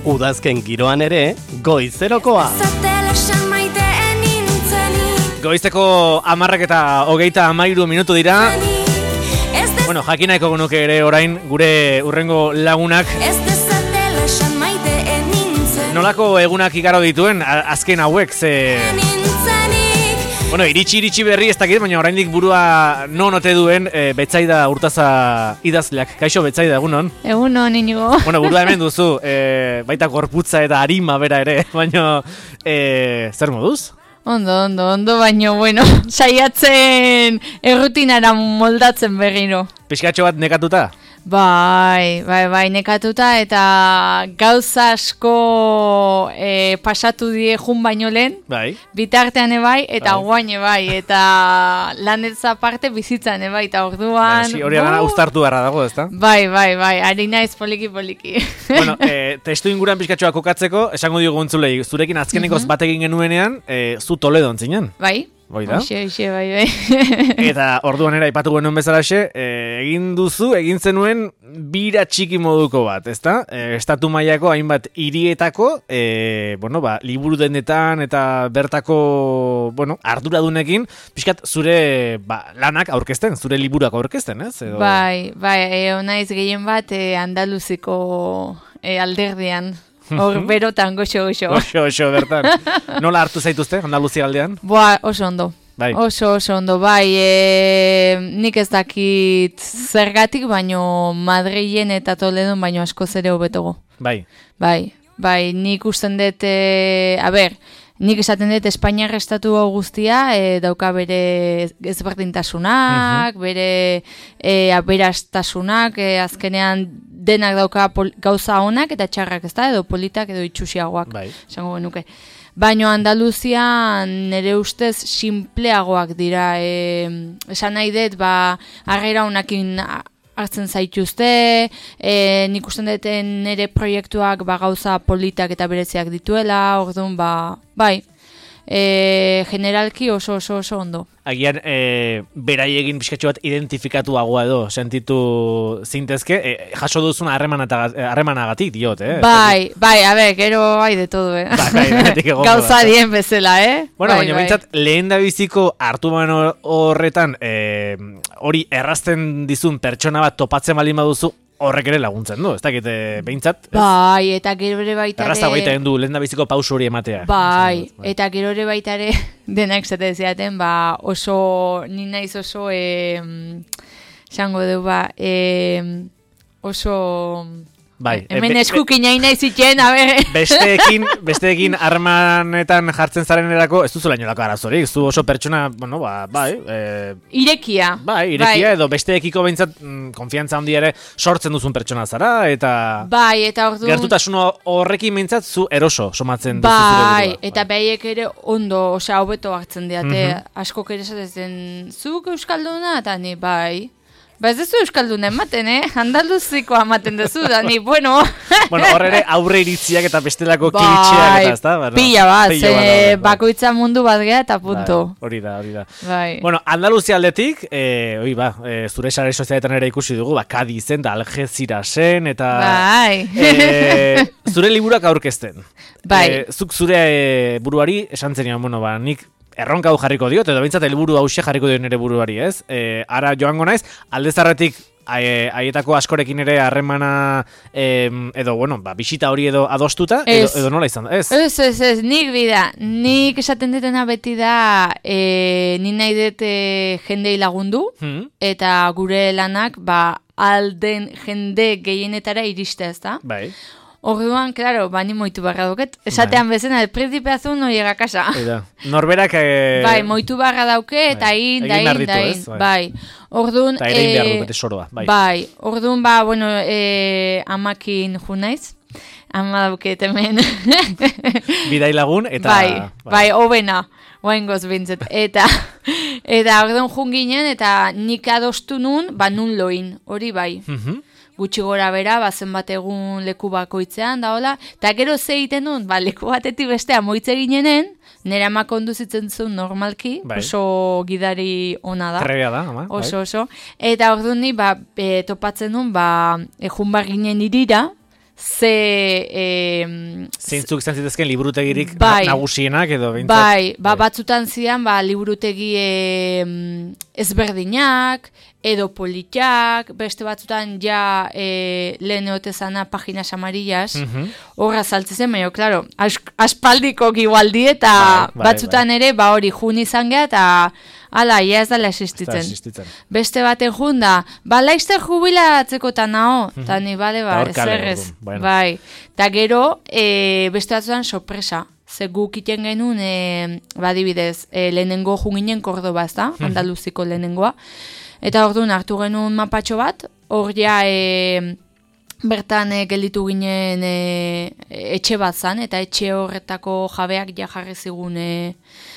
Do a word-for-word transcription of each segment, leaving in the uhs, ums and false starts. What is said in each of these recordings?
Udazken giroan ere, goizerokoa. Goizeko hamarrak eta hogeita hamairu minutu dira. Bueno, jakinaiko genuke ere orain gure urrengo lagunak nolako egunak igaro dituen azken hauek, ze... Bueno, iritsi iritsi berri ez dakit, baina oraindik burua non ote duen e, Betsaida Urtaza idazleak. Kaixo Betsaida, egunon? Egunon, Inigo. Bueno, burua hemen duzu, e, baita gorputza eta arima bera ere, baina e, zer moduz? Ondo, ondo, ondo, baino, bueno, saiatzen errutinara moldatzen berriro. Pixkatxo bat nekatuta? Bai, bai, bai, nekatuta eta gauza asko e, pasatu die jun baino lehen. Bai. Bitartean ebai eta bai. guain ebai eta lanetza parte bizitzan ebai eta orduan... Bai, hori gana uztartu beharra dago, ezta? Bai, bai, bai, ari naiz poliki poliki. Bueno, e, testu inguran pixkatxoa kokatzeko, esango diogu entzulei, zurekin azkenekoz uh-huh. batekin genuenean, e, zu Toledon zinen. Bai. Bai da? Oxe, oxe, bai, bai. Eta orduan era aipatu genuen bezalaxe, e, egin duzu, egin zenuen bira txiki moduko bat, ezta? E, estatu mailako hainbat hirietako, e, bueno, ba, liburu denetan eta bertako, bueno, arduradunekin, pixkat zure ba, lanak aurkezten, zure liburuak aurkezten, ez? Edo... Bai, bai, e, onaiz gehien bat e, Andaluziko e, alderdian. Hor berotan, goxo, goxo. Goxo, goxo, bertan. Nola hartu zaituzte, Andaluzia aldean? Boa, oso ondo. Bai. Oso, oso ondo, bai. E, nik ez dakit zergatik, baino Madrilen eta Toledon baino askoz ere hobetogo. Bai. Bai, bai, nik usten dut, e, a ber, nik esaten dut Espainiar estatu guztia e, dauka bere ezberdintasunak, uh-huh. bere e, aberastasunak, e, azkenean denak dauka pol, gauza honak eta txarrak, ez da, edo politak edo itxusiagoak, bai. esango genuke. Baina Andaluzian nire ustez sinpleagoak dira, e, esan nahi dut, ba, harrera honakin hartzen zaituzte, e, nik usten dut nire proiektuak ba, gauza politak eta bereziak dituela, orduan, ba, bai, e, generalki oso oso oso ondo. Agian, e, berai egin pixkatxo bat identifikatuagoa edo, sentitu zintezke, e, jaso duzuna harremanagatik diot, eh? Bai, bai, a ber, gero bai de todo, eh? Bai, bai, denetik egongo. Gauza dien bezala, eh? Bueno, bai, baina bintzat, bai. Lehen da biziko hartu man horretan, e, hori errazten dizun pertsona bat topatzen balin baduzu, horrek ere laguntzen du, ez dakit behintzat. Bai, eta gero ere baita ere... Errazta baita egin du, lehen da biziko pausu hori ematea. Bai, bai, eta gero ere baita ere denak zate ziaten, ba oso, ni naiz oso, esango du ba, e, oso... Bai, hemen e, eskukin nahi nahi ziten, a ber... Besteekin, besteekin armanetan jartzen zaren erako, ez duzu lainolako arazorik, zu oso pertsona, bueno, ba, bai... E, irekia. Bai, irekia, bai. Edo besteekiko behintzat mm, konfiantza handia ere sortzen duzun pertsona zara, eta... Bai, eta orduan... Gertutasun horrekin behintzat zu eroso somatzen duzu bai, zure burua. Eta bai. Behaiek ere ondo, osea, hobeto hartzen diate, mm-hmm. askok ere esaten, zuk euskalduna, eta ni, bai... Ba ez duzu euskalduna ematen, eh? Andaluzikoa ematen duzu, da ni, bueno... Bueno, hor ere aurre iritziak eta bestelako bai, kilitxeak eta ez da? Bueno, pila bat, pila bat, eh, bai. Bakoitza mundu bat geha eta punto. Bai, hori da, hori da. Bai. Bueno, Andaluzia aldetik, eh, oi ba, eh, zure sare sozialetan ere ikusi dugu, ba, Kadizen da Algezirasen, eta... Bai. Eh, zure liburuak aurkezten. Bai. Eh, zuk zure eh, buruari esan zenian, bueno, ba, nik... Erronka hau jarriko diot, edo bintzat helburu hause jarriko diot nire buruari, ez? E, ara joango naiz, alde zarretik haietako askorekin ere harremana edo, bueno, ba, bisita hori edo adostuta, edo, edo nola izan da, ez? Ez, ez, ez, nik bida, nik esaten detena beti da, e, ni nahi dute jendei lagundu, hmm. eta gure lanak, ba, alden jende gehienetara iriste, ez da? Bai. Orduan, claro, bani moitu barra duket. Esatean bai. Bezena, el príncipe azul no llega a casa. Eida. Norberak... Eh... Bai, moitu barra dauke, eta in, da in, da in. Bai. Orduan... Eta ere behar du bete soroa. Bai. Bai. Orduan, ba, bueno, eh, amakin junaiz. Ama dauket hemen. Bidai lagun, eta... Bai, bai, hobena. Oain goz bintzet. Eta, eta orduan jun ginen, eta nik adostu nun, ba, nun loin. Hori bai. Mhm. Gutxi gora bera, bazen bat egun leku bakoitzean, da hola, eta gero ze egiten duen, ba, leku batetik bestea moitze ginenen, nire ama konduzitzen zuen normalki, bai. Oso gidari ona da. Trebea da, ama. Oso, bai. Oso. Eta orduan ni, ba, e, topatzen duen, ba, ejun bar ginen irira, ze... E, Zeintzuk izan zitezken liburutegirik bai, nagusienak edo behintzat. Bai, ba, batzutan zidan ba, liburutegi e, ezberdinak, edo politiak, beste batzutan ja e, lehen eotezana paginas amarillas, horra uh-huh. saltzen, baina, klaro, as, aspaldikok igualdi eta bai, bai, batzutan bai. ere, ba hori jun izan geha, eta ala, ja ez dala existitzen. existitzen. Beste baten jun da, ba, laizter jubilatzeko eta nao, eta uh-huh. ni, bale, ba, ez ez, bueno. bai. Eta gero, e, beste batzutan sorpresa. Ze guk iten genuen, e, badibidez, e, lehenengo junginen Kordoba, ez da, Andaluziko lehenengoa. Eta orduan hartu genuen mapatxo bat, hor ja e, bertan e, gelditu ginen e, etxe bat zan, eta etxe horretako jabeak ja jarri zigun e,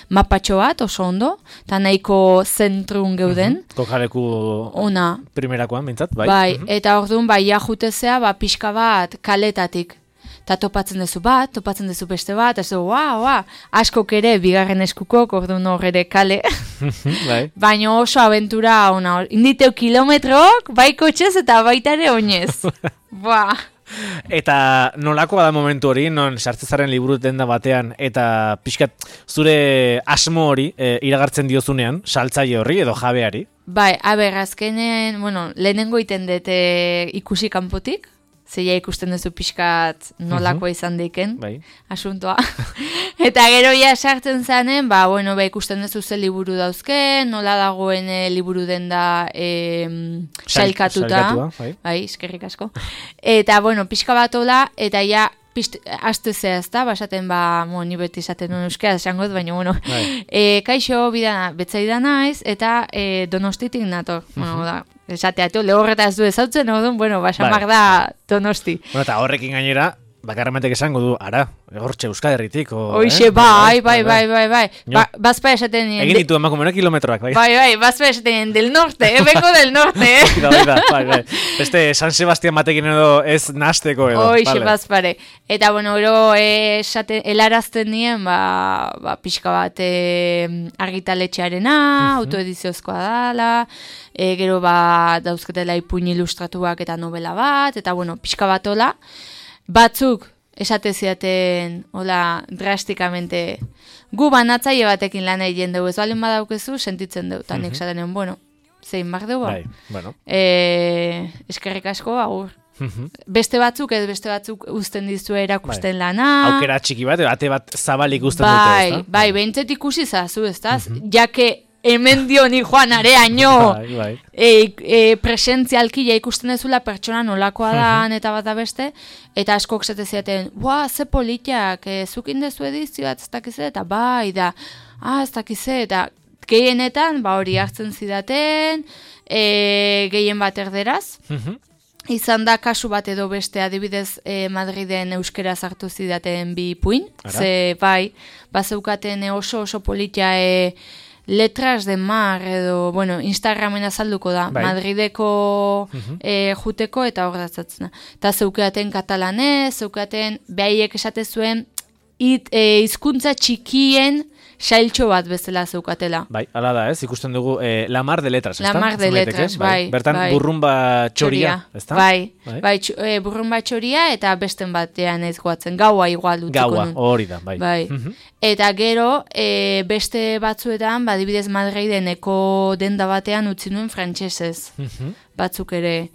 mapatxo bat, oso ondo, eta nahiko zentrun geuden. Uh-huh. Kokaleku ona. Primerakoan, bintzat, bai. Bai, uh-huh. eta orduan bai ja jutezea, ba, pixka bat kaletatik. Eta topatzen duzu bat, topatzen duzu beste bat, ez du, ua, ua, askok ere, bigarren eskukok, orduan hor ere kale. Bai. Baina oso abentura ona, inditeu kilometrok, bai kotxez eta baita ere oinez. Ba. Eta nolakoa da momentu hori, non sartzezaren liburu denda batean, eta pixkat zure asmo hori e, iragartzen diozunean, saltzaile horri edo jabeari? Bai, aber, azkenen, bueno, lehenengo iten dut e, ikusi kanpotik, zeia ikusten duzu pixkat nolakoa uh-huh. izan deiken, bai. Asuntoa. Eta gero ja sartzen zanen, ba, bueno, ba, ikusten duzu ze liburu dauzken, nola dagoen e, liburu den da e, sailkatuta. Bai, bai eskerrik asko. Eta, bueno, pixka bat hola, eta ja, aste zea ez da, basaten, ba, mo, ni beti izaten duen euskera, esango dut, baina, bueno, bai. e, kaixo, bidana, betzaida naiz, eta e, Donostitik nator, uh-huh. bueno, da, esateatu, lehorreta ez du ezautzen, no, bueno, basamar da Donosti. Bueno, eta horrekin gainera, bakarramatek esango du, ara, hortxe Euskal Herritik. Hoxe, eh? bai, bai, bai, bai, bai. Ba, bazpa esaten... Egin ditu emakumena kilometroak, bai. Bai, bai, bazpa esaten del norte, eh, vengo del norte, eh. bai, bai, bai. Beste San Sebastián batekin edo ez nasteko edo. Hoxe, vale. Bazpare. Eta, bueno, ero, esaten, helarazten nien, ba, ba, pixka bat e, argitaletxearena, uh-huh. autoediziozkoa dala, e, gero, ba, dauzketela ipuin ilustratuak eta novela bat, eta, bueno, pixka bat hola, batzuk esate ziaten, hola, drastikamente, gu banatzaile batekin lan egin dugu, ez balen badaukezu, sentitzen dugu, eta nik esaten duen, bueno, zein bar dugu, bai, bueno. e, eskerrik asko, agur. Beste batzuk, ez beste batzuk uzten dizu erakusten bai. Lana. Aukera txiki bat, ate bat zabalik uzten bai, dute, ez da? Bai, bai, behintzet ikusi zazu, ez da? Uh-huh. Jake, hemen dio ni joan areaino bai, bai. E, e, presentzialki ja ikusten dezula pertsona nolakoa dan eta bat da beste, eta askok zete ziaten, ua, ze politiak, e, zukin dezu edizioa, ez dakize, eta bai, da, ah, ez dakize, eta gehienetan, ba hori hartzen zidaten, e, gehien bat erderaz, uh-huh. izan da kasu bat edo beste adibidez e, Madriden euskera sartu zidaten bi puin, ze bai, bazeukaten oso oso politia e, letras de mar edo, bueno, Instagramen azalduko da, bai. Madrideko uh-huh. e, juteko eta hor datzatzen. Eta zeukaten katalanez, zeukaten behaiek esate zuen it, e, izkuntza txikien sailtxo bat bezala zeukatela. Bai, ala da, ez? Ikusten dugu eh, La Mar de Letras, ez da? La Mar de Letras, bai. Bertan bai. burrumba txoria, ez da? Bai, bai, bai tx, e, burrumba txoria eta besten batean ez goatzen. Gaua igual dutziko Gaua, hori da, bai. bai. Uh-huh. Eta gero, e, beste batzuetan, badibidez Madrideneko denda batean utzi nuen frantsesez. Uh-huh. Batzuk ere.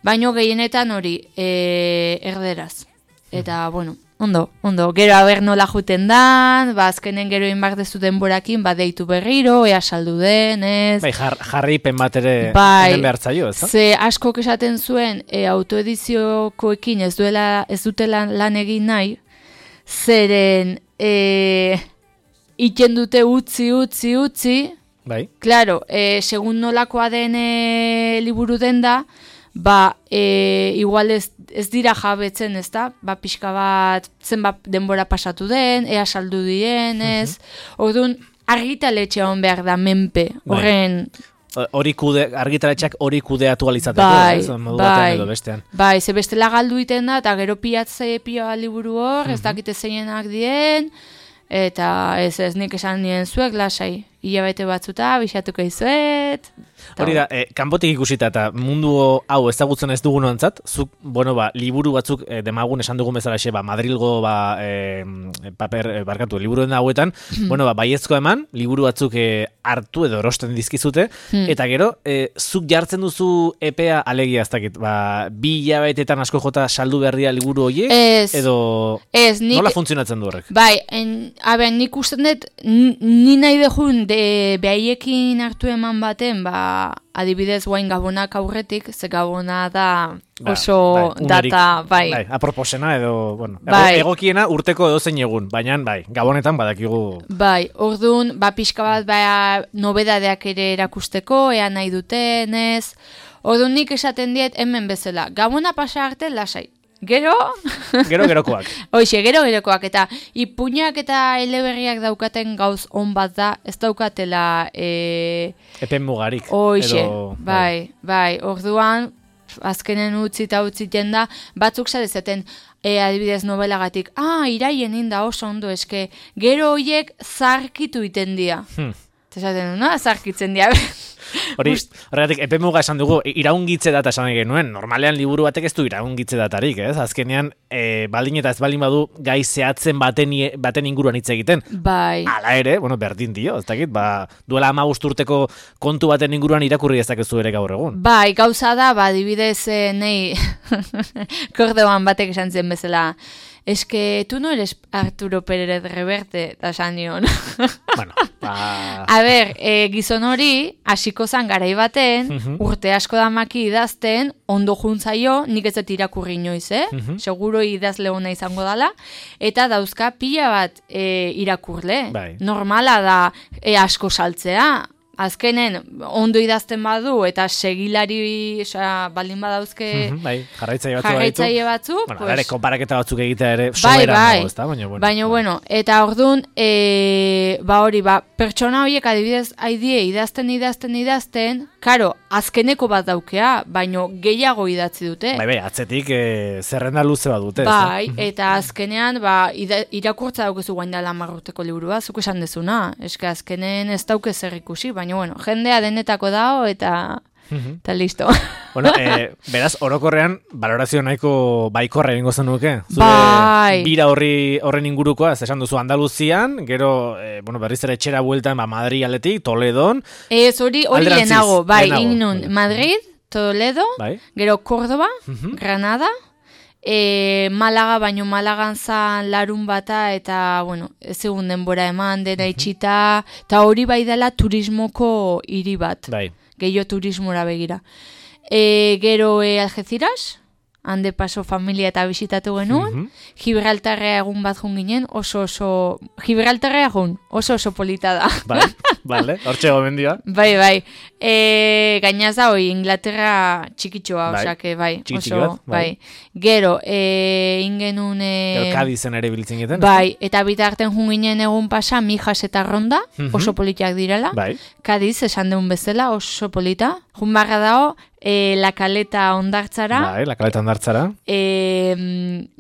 Baino gehienetan hori, e, erderaz. Eta, uh-huh. bueno, Ondo, ondo. Gero haber nola juten dan, ba, azkenen gero inbar dezu denborakin, ba, deitu berriro, ea saldu den, ez? Bai, jar, jarripen bat ere bai, behartzaio, ez da? Ze askok esaten zuen, e, autoediziokoekin ez duela, ez dutela lan egin nahi, zeren, e, iten dute utzi, utzi, utzi, bai. Claro, e, segun nolakoa den e, liburu den da, ba, e, igual ez, ez dira jabetzen, ez da? Ba, pixka bat, zenbat denbora pasatu den, ea saldu dien, ez? Uh-huh. Orduan, argitaletxea hon behar da menpe, horren... Hori kude, argitaletxeak hori kudeatu alizateko, bai, ez? Modu bai, batean edo bestean. Bai, ze bestela galdu iten da, eta gero piatze pioa liburu hor, uh-huh. ez dakite zeinenak dien, eta ez ez nik esan nien zuek lasai. hilabete batzuta, bisatuko izuet. Hori da, eh, kanpotik ikusita eta mundu hau ezagutzen ez dugun ontzat, zuk, bueno, ba, liburu batzuk eh, demagun esan dugun bezala xe, ba, Madrilgo, ba, eh, paper, eh, barkatu, liburuen hauetan, bueno, ba, baiezko eman, liburu batzuk eh, hartu edo erosten dizkizute, hmm. eta gero, eh, zuk jartzen duzu epea alegia ez dakit, ba, bi hilabetetan asko jota saldu berria liburu horiek, ez, edo ez, nik, nola funtzionatzen du horrek? Bai, en, abe, nik usten dut, ni nahi dejun, de, behaiekin hartu eman baten, ba, adibidez guain gabonak aurretik, ze gabona da oso ba, bai, data, bai. Bai, aproposena edo, bueno, bai. egokiena urteko edozein egun, baina bai, gabonetan badakigu. Bai, orduan, ba, pixka bat, ba, nobedadeak ere erakusteko, ea nahi duten, ez. Orduan nik esaten diet hemen bezala, gabona pasa arte lasai. Gero? Gero gerokoak. Hoxe, gero gerokoak. Eta ipuñak eta eleberriak daukaten gauz on bat da, ez daukatela... E... Epen mugarik. Hoxe, edo... bai, bai. Orduan, azkenen utzi eta utziten da, batzuk zarezaten, e, adibidez nobelagatik, ah, iraien inda oso ondo, eske, gero hoiek zarkitu iten dia. Hmm. Zaten, no? Zarkitzen dia. Hori, horregatik, epe muga esan dugu, iraungitze data esan genuen, normalean liburu batek ez du iraungitze datarik, ez? Azkenean, e, baldin eta ez baldin badu gai zehatzen baten, baten inguruan hitz egiten. Bai. Hala ere, bueno, berdin dio, ez dakit, ba, duela hamabost urteko kontu baten inguruan irakurri ez dakizu ere gaur egun. Bai, gauza da, ba, dibidez, eh, nei, kordoan batek esan zen bezala, es que tú no eres Arturo Pérez Reverte, da esan nion. Bueno, ba... A ber, e, gizon hori, hasiko zan garai baten, uh-huh. urte asko damaki idazten, ondo juntzaio, nik ez dut irakurri inoiz, eh? Uh-huh. Seguro idazle hona izango dala, eta dauzka pila bat e, irakurle. Bai. Normala da e, asko saltzea. Azkenen, ondo idazten badu, eta segilari, oza, baldin badauzke... Mm-hmm, bai, jarraitzaile batzuk. Jarraitzaile batzuk. Bueno, pues, ere, konparaketa batzuk egitea ere soberan bai, dago, ezta? Baina, bueno. Baina, bueno, eta orduan, e, ba hori, ba, pertsona horiek adibidez haidie idazten, idazten, idazten, karo, azkeneko bat daukea, baino gehiago idatzi dute. Bai, bai, atzetik e, zerrenda luze bat dute. Bai, ez, eta azkenean, ba, ida, irakurtza daukezu guain dela marrurteko liburua, zuk esan dezuna, eske azkenen ez dauke zer ikusi, baina, bueno, jendea denetako dao, eta... Eta listo. Bueno, eh, beraz, orokorrean, valorazio nahiko baikorra egingo zenuke. Zure bai. Bira horri, horren ingurukoa, ez esan duzu Andaluzian, gero, eh, bueno, berriz ere etxera bueltan, ba, Madrid aletik, Toledon. Ez hori, hori lehenago, bai, inun, bai. Madrid, Toledo, bai. Gero Córdoba, uh-huh. Granada, e, Malaga, baino Malagan zan larun bata, eta, bueno, ez egun denbora eman, dena uh-huh. itxita, eta hori bai dela turismoko hiri bat. Bai. Gehiago turismora begira. E, gero e, Algeciras, hande paso familia eta bisitatu genuen, mm-hmm. Gibraltarrea egun bat jun ginen, oso oso... Gibraltarrea jun, oso oso polita da. Bai, bale, hortxe gomendia. Bai, bai. E, gainaz da, hoi, Inglaterra txikitxoa, bai. Osake, bai. Txikitxo bat, bai. bai. Gero, e, ingenun... E, Gero Kadizen ere biltzen giten. Bai, eta bitarten jun ginen egun pasa, Mijas eta Ronda, mm-hmm. oso politiak direla. Bai. Kadiz, esan deun bezala, oso polita. Jun barra dao, e, La Caleta ondartzara. Bai, La Caleta ondartzara. E,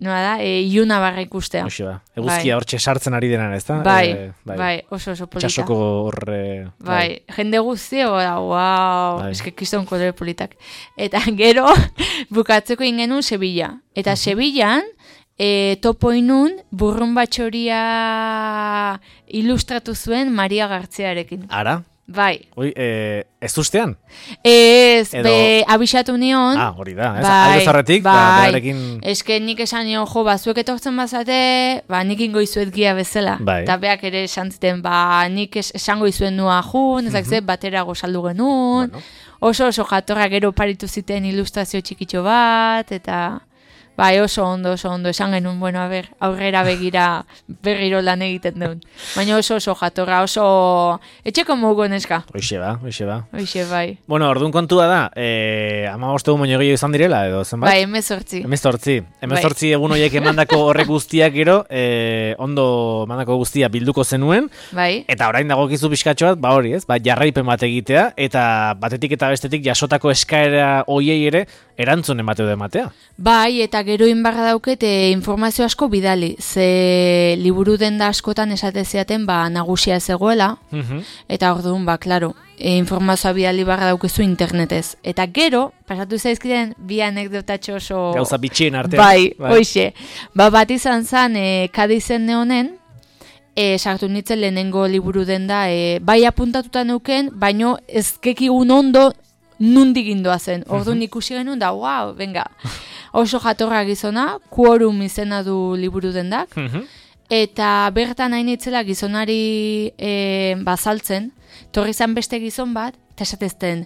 noa da, e, Iuna barra ikustea. Oixo da, eguzkia hortxe bai. Sartzen ari denan, ez da? Bai, e, bai, bai, oso oso polita. Txasoko horre... Bai, bai. Jende guztio, da, wow, bai. Eske kiston kolore politak. Eta gero, bukatzeko ingenun Sevilla. Eta uh-huh. Sevillan, e, topo inun, burrun batxoria ilustratu zuen Maria Gartziarekin. Ara? Bai. Oi, eh, ez ustean? Ez, Edo... be, abixatu nion. Ah, hori da, ez? Bai, aldo zarretik, bai. Ba, berarekin... Eske nik esan nion, jo, ba, zuek etortzen bazate, ba, nik ingo izuet gia bezala. Bai. Eta beak ere esan ziten, ba, nik es, esango izuen nua jun, ezak uh-huh. ze, batera gozaldu genuen. Bueno. Oso oso jatorra gero paritu ziten ilustrazio txikitxo bat, eta... Bai, oso ondo, oso ondo, esan genuen, bueno, a ber, aurrera begira berriro lan egiten duen. Baina oso oso jatorra, oso etxeko mugu neska. Hoixe ba, hoixe ba. Hoixe, bai. Bueno, orduan kontua da, eh, ama bostegun baino gehiago izan direla, edo zenbat? Bai, emezortzi. Emezortzi. Emezortzi bai. Egun horiek emandako horrek guztiak gero, eh, ondo emandako guztia bilduko zenuen. Bai. Eta orain dagokizu pixkatxo bat, ba hori ez, ba, jarraipen bat egitea, eta batetik eta bestetik jasotako eskaera hoiei ere erantzun emateu da ematea. Bai, eta gero inbarra dauket e, informazio asko bidali, ze liburu denda askotan esate ziaten ba, nagusia zegoela, mm-hmm. eta orduan, ba, klaro, e, informazioa bidali barra daukezu internetez. Eta gero, pasatu zaizkiden, bi anekdotatxo oso... Gauza bitxien artean. Bai, bai. Hoxe. Ba, bat izan zan, e, Kadizen neonen, e, sartu nintzen lehenengo liburu denda, e, bai apuntatuta neuken, baino ezkekigun ondo nundik indoa zen. Orduan uh-huh. ikusi genuen da, wow, venga. Oso jatorra gizona, Quorum izena du liburu dendak, uh-huh. eta bertan hain itzela gizonari e, bazaltzen, torri zan beste gizon bat, eta esatezten,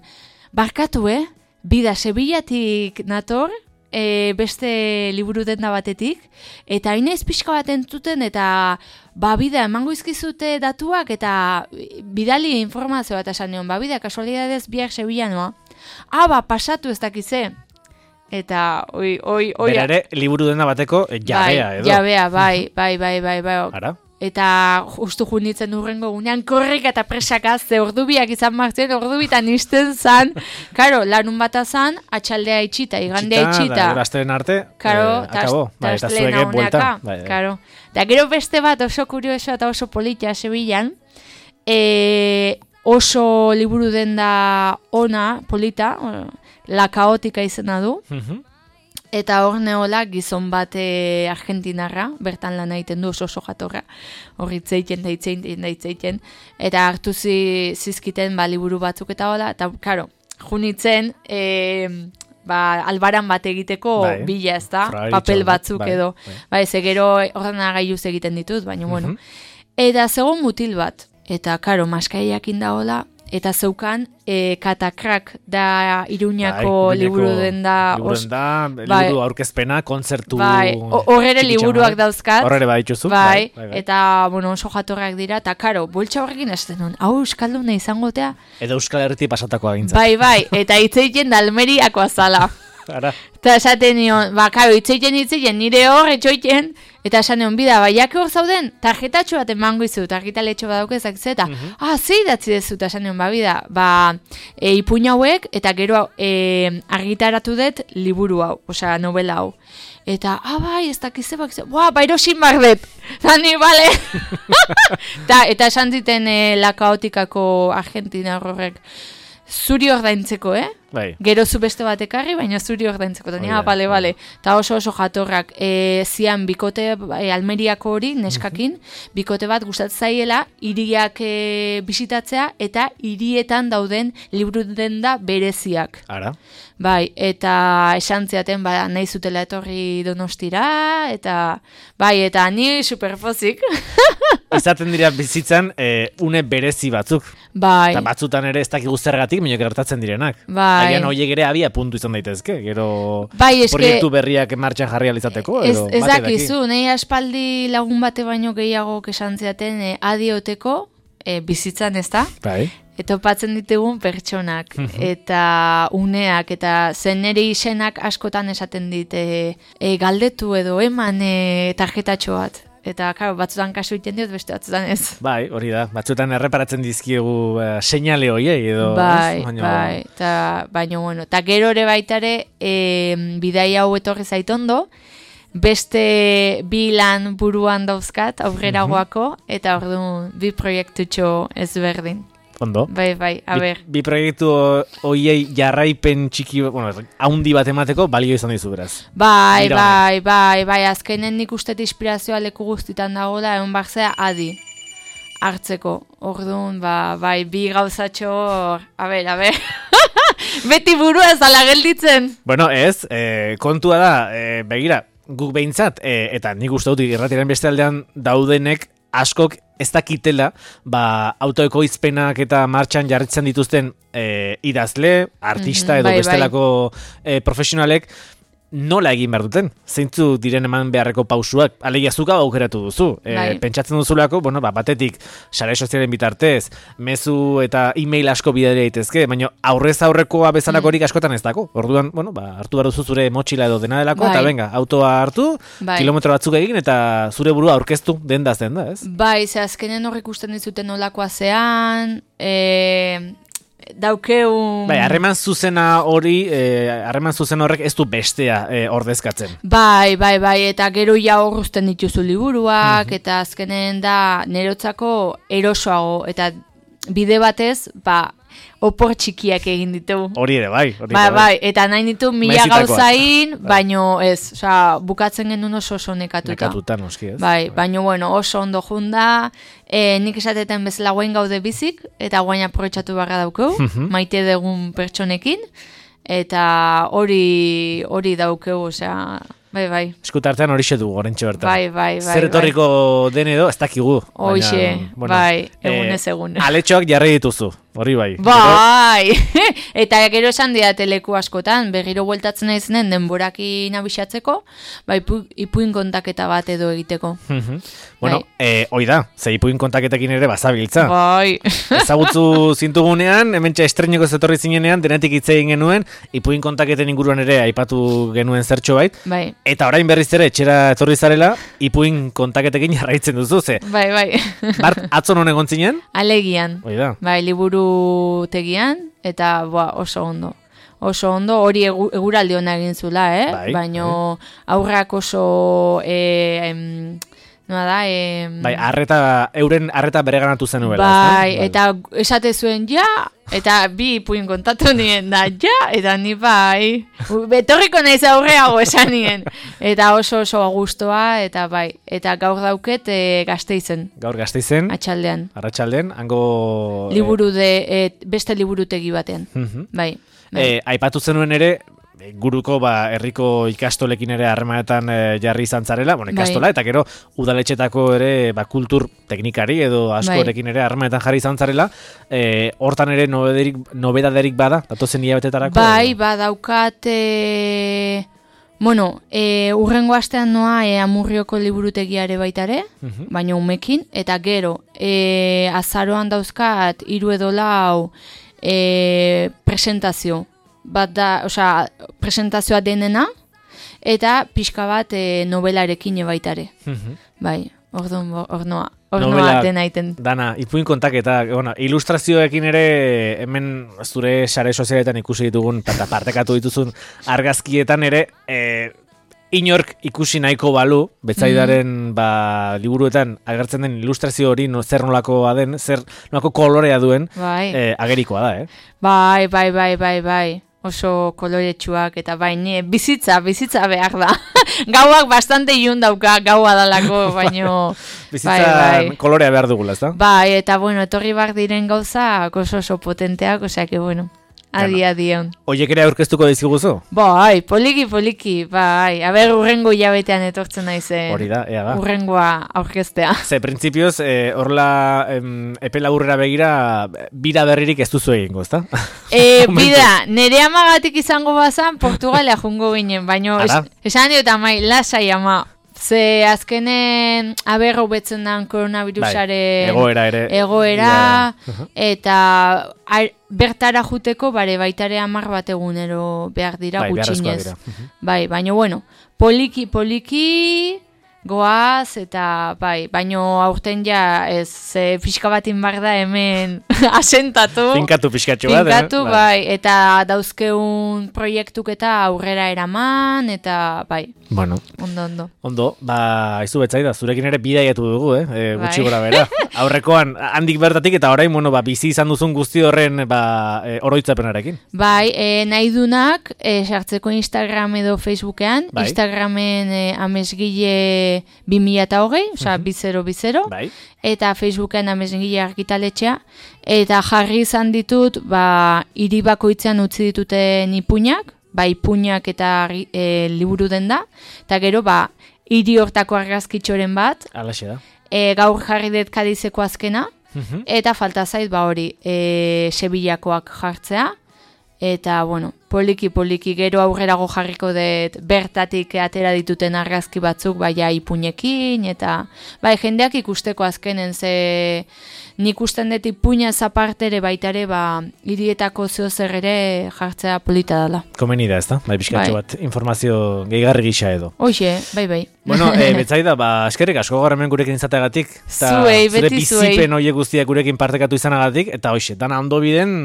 barkatu, eh? Bida, Sevillatik nator, e, beste liburu denda batetik, eta hain ez pixka bat entzuten, eta ba, bida, emango izkizute datuak, eta bidali informazioa, eta esan nion, ba, bida, kasualidadez biak Sevillanoa. Ah, ba, pasatu ez dakize. Eta, oi, oi, oi. Bera ere, liburu dena bateko jabea, bai, edo. Jabea, bai, bai, bai, bai, bai. Ara? Eta justu junitzen urrengo gunean, korrika eta presaka, ze ordubiak izan martzen, ordubitan izten zan. Karo, larun bata zan, atxaldea itxita, igandea itxita. Eta gazteren arte, karo, eh, akabo. Ta, eta zuege buelta. Bai, karo. Eta gero beste bat oso kurioso eta oso politia Sevillan, e, oso liburu denda ona, polita, La Kaotika izena du, uh-huh. eta hor neola gizon bat e, argentinarra, bertan lan egiten du oso oso jatorra, hor itzeiten da itzeiten da itzeiten, eta hartu zi, zizkiten ba, liburu batzuk eta hola, eta karo, junitzen, e, ba, albaran bat egiteko bai. Bila ez da, papel batzuk bai, edo, bai, bai ze gero ordenagailuz egiten ditut, baina uh-huh. bueno, eta zegoen mutil bat, eta karo, maskaiak indaola, eta zeukan e, Katakrak da Iruñako bai, liburu denda liburu denda, bai, liburu aurkezpena, kontzertu bai, horrere liburuak dauzkat horrere badituzu bai, bai, bai. Eta bueno, oso jatorrak dira, eta karo, boltsa horrekin esaten duen, hau euskalduna izangotea edo Euskal Herriti pasatako agintzat bai, bai, eta itzeiten da Almeriako azala eta esaten nion, ba, karo, itzeiten itzeiten nire hor, etxoiten eta esan egon bida, baiak hor zauden, tarjetatxo bat emango izu, tarjetaletxo bat daukezak zeta. Uh-huh. Ah, zei datzi dezu, eta esan egon, ba, bida, ba, e, ipuin hauek, eta gero e, argitaratu dut liburu hau, osea, novela hau. Eta, ah, bai, ez dakize, bak, boa, bairosin bardet. Zani, bale. Ta, eta esan ziten e, La Kaotikako Argentina horrek, zuri ordaintzeko, eh? Bai. Gero zu beste bat ekarri, baina zuri ordaintzeko. Oh, ja, bale, bale. Ta oso oso jatorrak. E, zian bikote, e, Almeriako hori, neskakin, uh-huh. bikote bat gustatzen zaiela, hiriak e, bisitatzea, eta hirietan dauden liburu denda bereziak. Ara. Bai, eta esan ziaten, ba, nahi zutela etorri Donostira, eta, bai, eta ni superpozik. Izaten dira bizitzan, e, une berezi batzuk. Bai. Eta batzutan ere ez dakigu zergatik, minok gertatzen direnak. Bai. Agian horiek ere abia puntu izan daitezke, gero bai, eske, proiektu berriak martxan jarri alizateko. Ez, ez dakizu, nahi aspaldi lagun bate baino gehiago esan ziaten e, adioteko, e, bizitzan ez da? Bai. Eta opatzen ditugun pertsonak, eta uneak, eta zen nire izenak askotan esaten dit, e, e, galdetu edo eman e, tarjetatxo bat. Eta, karo, batzutan kasu iten diot, beste batzutan ez. Bai, hori da. Batzutan erreparatzen dizkiegu uh, seinale hoiei edo. Bai, baino... bai. Ta, baina, bueno, eta gero ere baitare, e, bidai hau etorri zaitondo, beste bi lan buruan dauzkat, aurreragoako, eta orduan bi proiektutxo ezberdin. Ondo. Bai, bai, a ber. Bi, bi proiektu hoiei jarraipen txiki, bueno, haundi bat emateko balio izan dizu beraz. Bai, Dira bai, bai, bai, azkenen nik uste inspirazioa leku guztitan dagoela, egon barzea adi hartzeko. Orduan, ba, bai, bi gauzatxo, a ber, a ber. Beti burua ez ala gelditzen. Bueno, ez, eh, kontua da, eh, begira, guk behintzat, eh, eta nik uste dut irratiaren beste aldean daudenek askok ez dakitela, ba, autoekoizpenak eta martxan jarritzen dituzten e, idazle, artista edo mm-hmm, bai, bestelako bai. E, profesionalek nola egin behar duten? Zeintzu diren eman beharreko pausuak? Alegia zuka aukeratu duzu. E, bai. Pentsatzen duzulako, bueno, ba, batetik sare sozialen bitartez, mezu eta e-mail asko bidea daitezke, baina aurrez aurrekoa bezalakorik mm. askotan ez dako. Orduan, bueno, ba, hartu behar duzu zure motxila edo dena delako, bai. Eta venga, autoa hartu, bai. Kilometro batzuk egin, eta zure burua aurkeztu denda zen da, ez? Bai, ze azkenen horrek usten dizuten nolakoa zean, e... daukeun... Bai, harreman zuzena hori, harreman eh, zuzen horrek ez du bestea eh, ordezkatzen. Bai, bai, bai, eta gero ja horruzten dituzu liburuak, mm-hmm. eta azkenen da nerotzako erosoago, eta bide batez, ba, opor txikiak egin ditu. Hori ere, bai. Hori bai, bai, bai, eta nahi ditu mila gauzain, baino ez, oza, bukatzen genuen oso oso nekatuta. Nekatuta, noski ez. Bai, baino, bueno, oso ondo junda, e, nik esateten bezala guain gaude bizik, eta guain aprobetxatu barra daukeu, maite dugun pertsonekin, eta hori hori daukeu, osea... Bai, bai. Eskutartean horixe du, gorentxo bertan. Bai, bai, bai. Zer etorriko bai. Den edo, ez dakigu. Hoxe, bueno, bai, egunez egun. Eh, aletxoak jarri dituzu, hori bai. Bai, eta gero esan didate leku askotan, berriro bueltatzen naizenen denboraki nabixatzeko, bai, ipuin kontaketa bat edo egiteko. Bueno, bai. eh, hoi da, ze ipuin kontaketekin ere bazabiltza. Bai. Ezagutzu zintugunean, hementxe estreneko zetorri zinenean, denetik hitz egin genuen, ipuin kontaketen inguruan ere aipatu genuen zertxo bait. Bai. Eta orain berriz ere etxera etorri zarela, ipuin kontaketekin jarraitzen duzu, ze. Bai, bai. Bart, atzo non egon zinen? Alegian. Oida. Bai, liburu tegian, eta boa, oso ondo. Oso ondo, hori egu, eguraldi hona egin zula, eh? Bai, baino bai. Aurrak oso... Eh, em, noa da, eh, bai, arreta, euren arreta bereganatu zen nuela. Bai, bai, eta esate zuen ja, eta bi ipuin kontatu nien da, ja, eta ni bai, betorriko naiz aurreago esan nien, eta oso oso gustoa, eta bai, eta gaur dauket e, Gasteizen. Gaur Gasteizen. Atxaldean. Arratsaldean, hango... Liburu de, e, beste liburutegi batean, uh-huh. bai. bai. E, aipatu zenuen ere, guruko ba, herriko ikastolekin ere harremanetan e, jarri izan zarela, bueno, ikastola, bai. Eta gero udaletxetako ere ba, kultur teknikari edo askorekin bai. Ere harremanetan jarri izan zarela, e, hortan ere nobedaderik, nobedaderik bada, datozen hilabetetarako? Bai, badaukat, e, bueno, e, urrengo astean noa e, Amurrioko liburutegiare baitare, uh-huh. baina umekin, eta gero, e, azaroan dauzkat, hiru edo lau e, presentazio, bat da, osea, presentazioa denena, eta pixka bat e, novelarekin ebaitare. Uh-huh. Bai, orduan, ornoa, ornoa dena iten. Dana, ipuin kontaketa, bueno, ilustrazioekin ere, hemen zure sare sozialetan ikusi ditugun, eta partekatu dituzun argazkietan ere, e, inork ikusi nahiko balu, Betzaidaren mm. ba, liburuetan agertzen den ilustrazio hori no, zer nolakoa den, zer nolako kolorea duen, bai. e, agerikoa da, eh? Bai, bai, bai, bai, bai. Oso koloretsuak eta baina bizitza, bizitza behar da. Gauak bastante ilun dauka, gaua dalako, baino... Bizitza bai, bai. Kolorea behar dugula, ez da? Bai, eta bueno, etorri bar diren gauza oso oso potenteak, osea que bueno... Adi, adi hon. Oiek ere aurkeztuko dizkiguzu? Bai, poliki, poliki, bai. Aber, urrengo hilabetean etortzen naizen. Hori da, ea da. Urrengoa aurkeztea. Ze, printzipioz, eh, orla em, epe laburrera begira, bira berririk ez duzu egingo, ezta? E, bida, nere amagatik izango bazan, Portugalea jungo ginen, baino, es, esan dio eta mai, lasai ama. Ze azkenen aberro betzen dan koronavirusaren bai, egoera ere egoera yeah. Eta ar, bertara juteko bare baitare hamar bat egunero behar dira bai, gutxinez. Uh-huh. Bai, baina bueno, poliki poliki goaz eta bai, baino aurten ja ez e, pixka batin bar da hemen asentatu. Finkatu pixkatxo bat. Finkatu, eh? bai, eta dauzkeun proiektuk eta aurrera eraman, eta bai. Bueno. Ondo, ondo. Ondo, ba, izu Betzaida, zurekin ere bidaiatu dugu, eh? E, gutxi bai. Gora bera. Aurrekoan, handik bertatik eta orain, bueno, ba, bizi izan duzun guzti horren ba, e, oroitzapenarekin. Bai, e, nahi dunak, e, sartzeko Instagram edo Facebookean, bai. Instagramen e, amesgile bi mila eta hogei, oza, uh-huh. bizero, bizero, bai. Eta Facebooken amesgile argitaletxea, eta jarri izan ditut, ba, hiri bakoitzean utzi dituten ipuinak, ba, ipuinak eta e, liburu den da, eta gero, ba, hiri hortako argazkitxoren bat, alaxe da. E, gaur jarri dut Kadizeko azkena, uh-huh. eta falta zait, ba, hori, e, Sevillakoak jartzea, eta, bueno, poliki poliki gero aurrerago jarriko dut bertatik atera dituten argazki batzuk baia ipuñekin eta bai jendeak ikusteko azkenen ze nik usten dut ipuña zapartere baitare ba hirietako zeo zer ere jartzea polita dela. Komeni da, ezta? Bai, pixkatxo Bai. bat informazio gehigarri gisa edo. Hoxe, bai bai. Bueno, e, Betsaida, ba, eskerrik asko gaur hemen gurekin izateagatik. Eta Zuei, zure beti zuei. bizipen horiek guztiak gurekin partekatu izanagatik, eta hoxe, dana ondo biden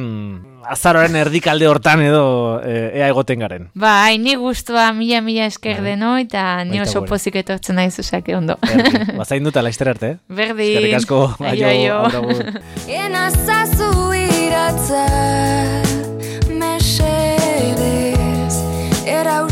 azaroaren erdikalde hortan edo e, ea egoten garen. Bai, ni gustua mila mila esker deno eta ni Baita oso gure. pozik etortzen naiz osake ondo. Erdi, bazain dut, laizter arte, eh? Berdin. Eskerrik asko, Aio, aio. aio, aio. Enazazu iratza mesedez, erau